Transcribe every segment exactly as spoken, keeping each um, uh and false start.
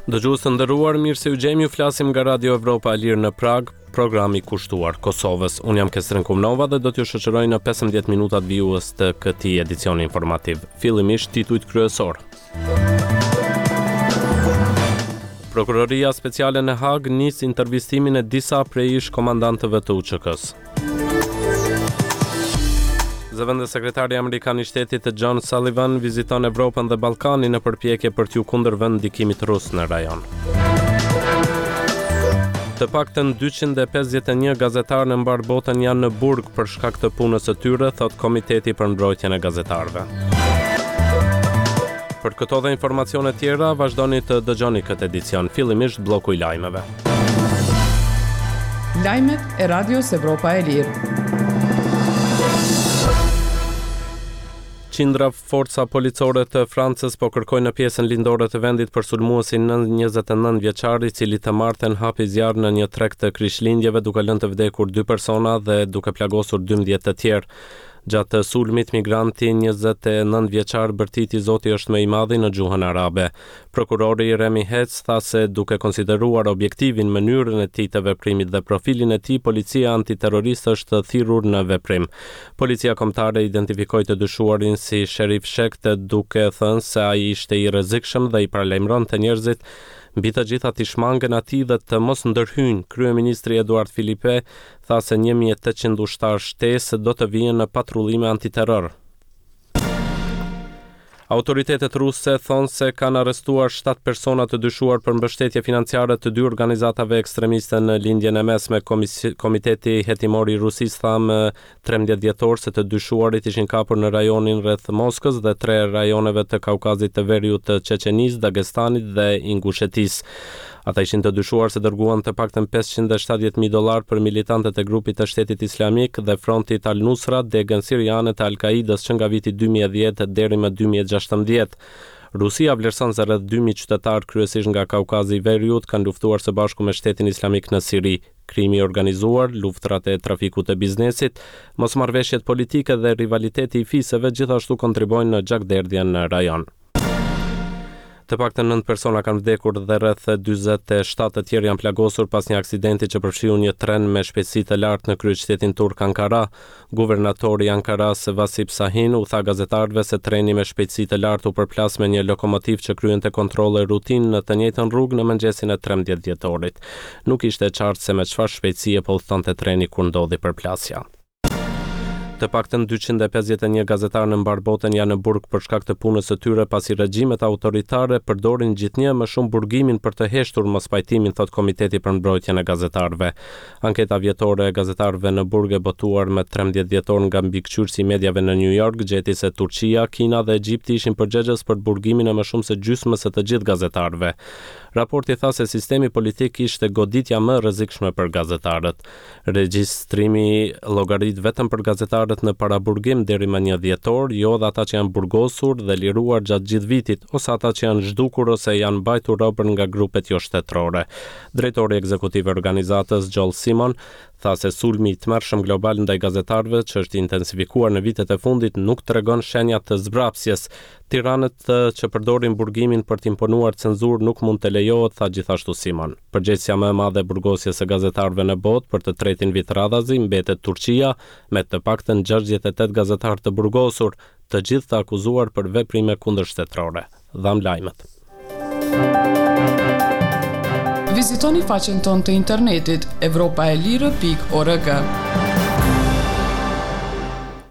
Dëgjues të nderuar, mirë se ju gjejmë, ju flasim nga Radio Evropa e Lirë në Prag, programi kushtuar Kosovës. Unë jam Kestren Kumnova dhe do t'ju shoqëroj në pesëmbëdhjetë minutat vijues të këtij edicioni informativ. Fillimisht titujt kryesor. Prokuroria Speciale në Hagë nis intervistimin e disa prej ish komandantëve të U Ç K-s. Zëvendës sekretari amerikan i shtetit John Sullivan viziton Evropën dhe Ballkanin në përpjekje për t'ju kundërvënë ndikimit rus në rajon. Të paktën dyqind e pesëdhjetë e një gazetarë në mbar botën janë në burg për shkak të punës së tyre, thot Komiteti për Mbrojtjen e Gazetarëve. Për këto dhe informacione tjera, vazhdoni të dëgjoni këtë edicion, fillimisht bloku i lajmeve. Lajmet e Radios Evropa e Lirë. Qindra forca policore të Francës po kërkojnë në pjesën lindore të vendit për sulmuesin njëzet e nëntë vjeçar, i cili të martën hapi zjarr në një treg të Krishtlindjeve duke lënë të vdekur dy persona dhe duke plagosur dymbëdhjetë të tjerë. Gjatë sulmit, migranti njëzet e nëntë vjeçar bërtiti Zoti është më i madhi në gjuhën arabe. Prokurori Remy Hetz tha se duke konsideruar objektivin, mënyrën e tij të veprimit dhe profilin e tij, policia antiterroriste është thirrur në veprim. Policia kombëtare identifikoi të dyshuarin si Sherif Shekte, duke thënë se ai ishte i rrezikshëm dhe i paralajmëronte njerëzit mbi të gjitha t'i shmangen atij dhe të mos ndërhyjnë. Kryeministri Eduard Philippe tha se një mijë e tetëqind ushtarë shtesë do të vihen në patrullime antiterror. Autoritetet ruse thonë se kanë arrestuar shtatë persona të dyshuar për mbështetje financiare të dy organizatave ekstremiste në Lindjen e Mesme. Komisi-, Komiteti Hetimor i Rusisë tha më trembëdhjetë dhjetor se të dyshuarit ishin kapur në rajonin rreth Moskës dhe tre rajoneve të Kaukazit të Veriut të Çeçenisë, Dagestanit dhe Ingushetisë. Ata ishin të dyshuar se dërguan të paktën pesëqind e shtatëdhjetë mijë dollar për militantët e grupit të Shtetit Islamik dhe frontit Al-Nusra, degën siriane të Al-Qaidës që nga viti dy mijë e dhjetë deri më dy mijë e gjashtëmbëdhjetë. Rusia vlerëson se rreth dy mijë qytetarë kryesisht nga Kaukazi i Veriut kanë luftuar së bashku me Shtetin Islamik në Siri. Krimi i organizuar, luftrat e trafikut të biznesit, mosmarrëveshjet politike dhe rivaliteti i fiseve gjithashtu kontribuojnë në gjakderdhjen në rajon. Të paktën nëntë persona kanë vdekur dhe rreth dyzet e shtatë të tjerë janë plagosur pas një aksidenti që përfshiu një tren me shpejtësi të lartë në kryeqytetin turk Ankara. Guvernatori i Ankaras Vasip Sahin u tha gazetarëve se treni me shpejtësi të lartë u përplas me një lokomotivë që kryente kontrolle rutinë në të njëjtën rrugë në mëngjesin e trembëdhjetë dhjetorit. Nuk ishte e qartë se me çfarë shpejtësie po udhtonte treni kur ndodhi përplasja. Të paktën dyqind e pesëdhjetë e një gazetarë në mbar botën janë në burg për shkak të punës së tyre, pasi regjimet autoritare përdorin gjithnjë më shumë burgimin për të heshtur mospajtimin, thot Komiteti për Mbrojtjen e Gazetarëve. Anketa vjetore e gazetarëve në burg e botuar më trembëdhjetë dhjetor nga mbikëqyrësi i mediave në New York gjeti se Turqia, Kina dhe Egjipti ishin përgjegjës për burgimin e më shumë se gjysmës së të gjithë gazetarëve. Raporti tha se sistemi politik ishte goditja më e rrezikshme për gazetarët. Regjistrimi llogarit vetëm për gazetarët në paraburgim deri më një dhjetor, jo dhe ata që janë burgosur dhe liruar gjatë gjithë vitit, ose ata që janë zhdukur ose janë mbajtur robër nga grupet jo shtetërore. Drejtori ekzekutiv i organizatës Joel Simon tha se sulmi i tmerrshëm global ndaj gazetarëve që është intensifikuar në vitet e fundit nuk tregon shenja të zbrapsjes. Tiranët që përdorin burgimin për të imponuar cenzurë nuk mund të lejohet, tha gjithashtu Simon. Përgjegjësia më e madhe e burgosjes së gazetarëve në botë për të tretin vit radhazi mbetet Turqia, me të paktën gjashtëdhjetë e tetë gazetarë të burgosur, të gjithë të akuzuar për veprime kundërshtetërore. Dham lajmet. Vizitoni faqen tonë të internetit evropa e lirë pikë org.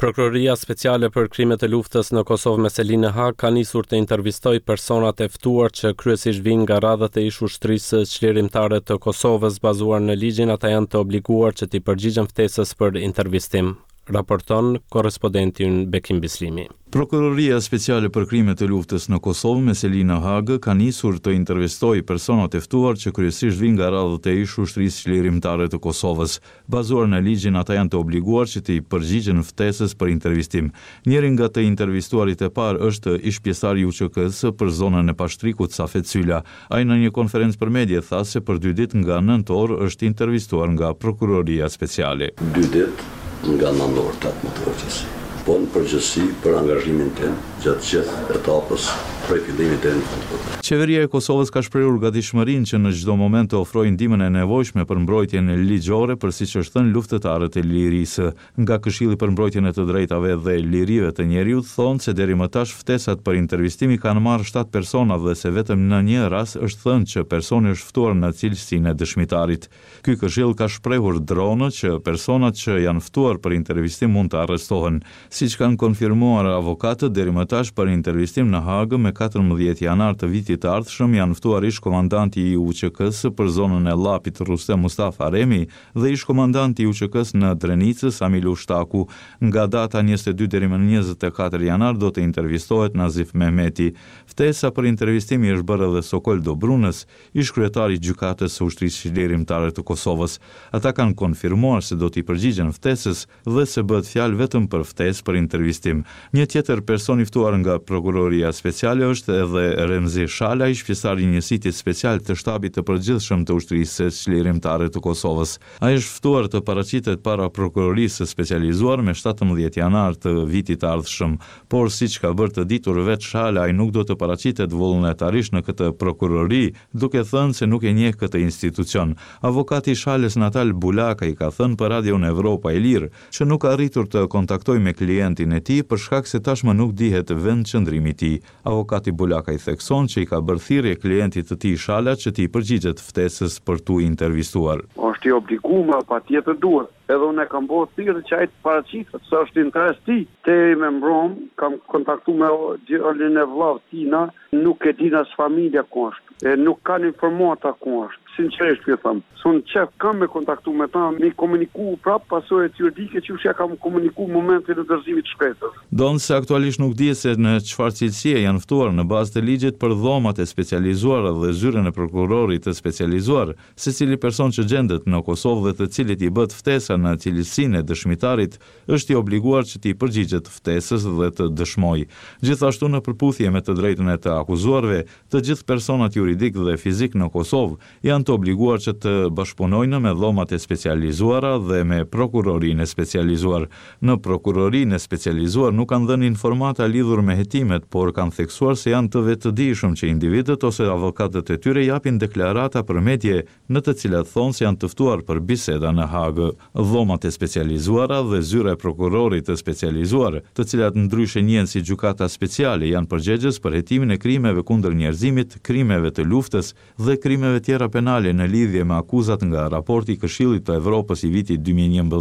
Prokuroria Speciale për Krimet e Luftës në Kosovë me selinë në Hag ka nisur të intervistojë personat e ftuar që kryesisht vijnë nga radhët e ish ushtrisë çlirimtare të Kosovës. Bazuar në ligjin, ata janë të obliguar që t'i përgjigjen ftesës për intervistim, raporton korrespondenti ynë Bekim Bislimi. Prokuroria Speciale për Krimet e Luftës në Kosovë me selinë në Hagë ka nisur të intervistojë personat e ftuar që kryesisht vijnë nga radhët e ish ushtrisë çlirimtare të Kosovës. Bazuar në ligjin, ata janë të obliguar që t'i përgjigjen ftesës për intervistim. Njëri nga të intervistuarit e parë është ish pjesëtari i U Ç K-së për zonën e Pashtrikut, Safet Syla. Ai në një konferencë për medie tha se për dy ditë nga nëntë orë është intervistuar nga Prokuroria Speciale. Dy ditë nga nëntë orë, tetëmbëdhjetë orë që si. Po në përgjithësi për angazhimin tim gjatë gjithë etapës prej fillimit deri në fund. Qeveria e Kosovës ka shprehur gatishmërinë që në çdo moment të ofrojë ndihmën e nevojshme për mbrojtjen ligjore për siç është thënë luftëtarët e lirisë. Nga Këshilli për Mbrojtjen e të Drejtave dhe Lirive të Njeriut thonë se deri më tash ftesat për intervistim i kanë marrë shtatë persona dhe se vetëm në një rast është thënë që personi është ftuar në cilësinë e dëshmitarit. Ky këshill ka shprehur dronë që personat që janë ftuar për intervistim mund të arrestohen. Siç kanë konfirmuar avokatët, deri më tash për intervistim në Hagë me katërmbëdhjetë janar të vitit të ardhshëm janë ftuar ish komandanti i U Ç K-së për zonën e Llapit Rustem Mustafa Remi dhe ish komandanti i U Ç K-së në Drenicë Sami Lushtaku. Nga data njëzet e dy deri më njëzet e katër janar do të intervistohet Nazif Mehmeti. Ftesa për intervistim i është bërë edhe Sokol Dobrunës, ish kryetari i Gjykatës së Ushtrisë Çlirimtare të Kosovës. Ata kanë konfirmuar se do t'i përgjigjen ftesës dhe se bëhet fjalë vetëm për ftesë për intervistim. Një tjetër person i ftuar nga Prokuroria Speciale është edhe Remzi Shala, ish pjesëtar i njësitit special të Shtabit të Përgjithshëm të Ushtrisë Çlirimtare të Kosovës. Ai është ftuar të paraqitet para Prokurorisë së Specializuar me shtatëmbëdhjetë janar të vitit të ardhshëm, por siç ka bërë të ditur vetë Shala, ai nuk do të paraqitet vullnetarisht në këtë prokurori, duke thënë se nuk e njeh këtë institucion. Avokati i Shalës Natal Bulaka i ka thënë për Radion Evropa e Lirë që nuk ka arritur të kontaktojë me klientin e tij për shkak se tashmë nuk dihet vendqëndrimi i tij. Avokati Bulaka i thekson që i ka bërë thirrje klientit të tij Shala që t'i përgjigjet ftesës për t'u intervistuar. Është i obliguar, patjetër duhet. Edhe unë e kam bërë thirrje që ai të paraqitet, se është interes ti. Deri me mbrom, kam kontaktu me djalin e vllavit tina, nuk e din as familja ku është, e nuk kanë informata ku është. Sinqerisht po ju them, se unë qef kam me kontaktu me ta, me komuniku prap pasojat juridike që ja kam komuniku në momentin e dorëzimit të shkresës. Ndonëse aktualisht nuk dihet se në çfarë cilësie janë ftuar në bazë të ligjit për dhomat e specializuara dhe zyrën e prokurorit të specializuar, secili person që gjendet në Kosovë dhe të cilit i bëhet ftesa në cilësinë e dëshmitarit është i obliguar që t'i përgjigjet ftesës dhe të dëshmojë. Gjithashtu në përputhje me të drejtën e të akuzuarve, të gjithë personat juridik dhe fizik në Kosovë janë të obliguar që të bashkëpunojnë me dhomat e specializuara dhe me prokurorinë e specializuar. Në prokurorinë e specializuar nuk kanë dhënë informata lidhur me hetimet, por kanë theksuar se janë të vetëdijshëm që individët ose avokatët e tyre japin deklarata për medie në të cilat thonë se janë të ftuar për biseda në Hagë. Dhomat e specializuara dhe zyra e prokurorit të specializuar, të cilat ndryshe njihen si gjykata speciale, janë përgjegjës për hetimin e krimeve kundër njerëzimit, krimeve të luftës dhe krimeve tjera penale në lidhje me akuzat nga raporti i Këshillit të Evropës i vitit dy mijë e njëmbëdhjetë.